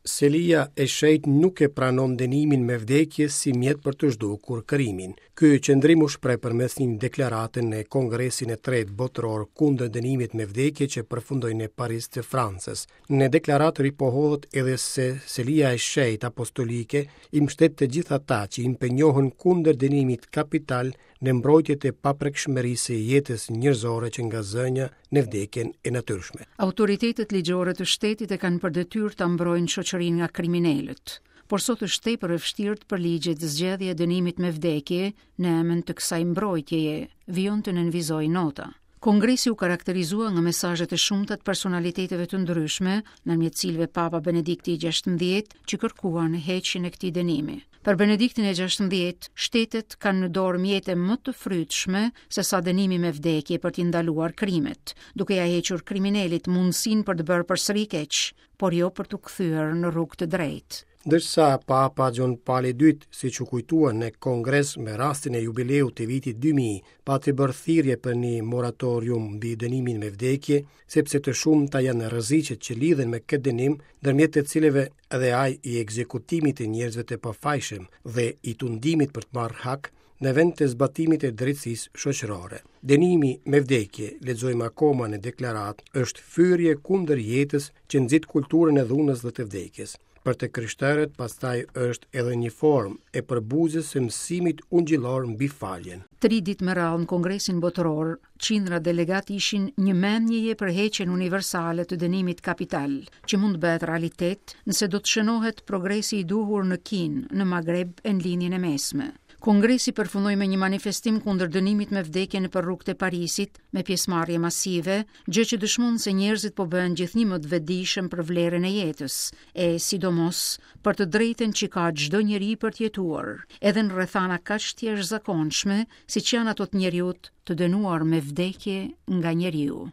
Selia e Shenjtë nuk e pranon dënimin me vdekje si mjet për të zhdukur krimin. Ky qëndrim u shpreh përmes një deklarate në Kongresin e Tretë Botëror kundër dënimit me vdekje që përfundoi në Paris të Francës. Në deklaratë ripohohet edhe se Selia e Shenjtë Apostolike i mbështet të gjithë ata që impenjohen kundër dënimit kapital në mbrojtje të paprekshmërisë së jetës njerëzore që nga zënia në vdekjen e natyrshme. Autoritetet ligjore të shtetit e kanë për detyrë ta mbrojnë shoqërinë nga kriminelët. Por sot është tepër e vështirë të përligjet zgjedhja e dënimit me vdekje në emën të kësaj mbrojtjeje, vijon të nënvizojë nota. Kongresi u karakterizua nga mesazhet e shumta të personaliteteve të ndryshme, ndërmjet të cilëve Papa Benedikti i 16, që kërkuan heqjen e këtij dënimi. Për Benediktin e 16, shtetet kanë në dorë mjete më të frytshme se sa dënimi me vdekje për t'i ndaluar krimet, duke ia hequr kriminelit mundësinë për të bërë përsëri keq, por jo për t'u kthyer në rrugë të drejtë. Ndërsa Papa Gjon Pali II, siç u kujtua në Kongres me rastin e jubileut të vitit 2000, pati bërë thirrje për një moratorium mbi dënimin me vdekje, sepse të shumta janë rreziqet që lidhen me këtë dënim, ndërmjet të cilëve edhe ai i ekzekutimit të njerëzve të pafajshëm dhe i tundimit për të marrë hak, në vend të zbatimit të drejtësisë shoqërore. Dënimi me vdekje, lexojmë akoma në deklaratë, është fyerje kundër jetës që nxit kulturën e dhunës dhe të vdekjes. Për të krishterët pastaj është edhe një formë e përbuzjes së mësimit ungjillor mbi faljen. Tri ditë me radhë në Kongresin Botëror, qindra delegatë ishin një mendjeje për heqjen universale të dënimit kapital, që mund të bëhet realitet nëse do të shënohet progresi i duhur në Kinë, në Magreb e në Lindjen e Mesme. Kongresi përfundoi me një manifestim kundër dënimit me vdekje nëpër rrugët e Parisit, me pjesëmarrje masive, gjë që dëshmon se njerëzit po bëhen gjithnjë më të vetëdijshëm për vlerën e jetës, e sidomos për të drejtën që ka çdo njeri për të jetuar, edhe në rrethana kaq të jashtëzakonshme, siç janë ato të njeriut të dënuar me vdekje nga njeriu.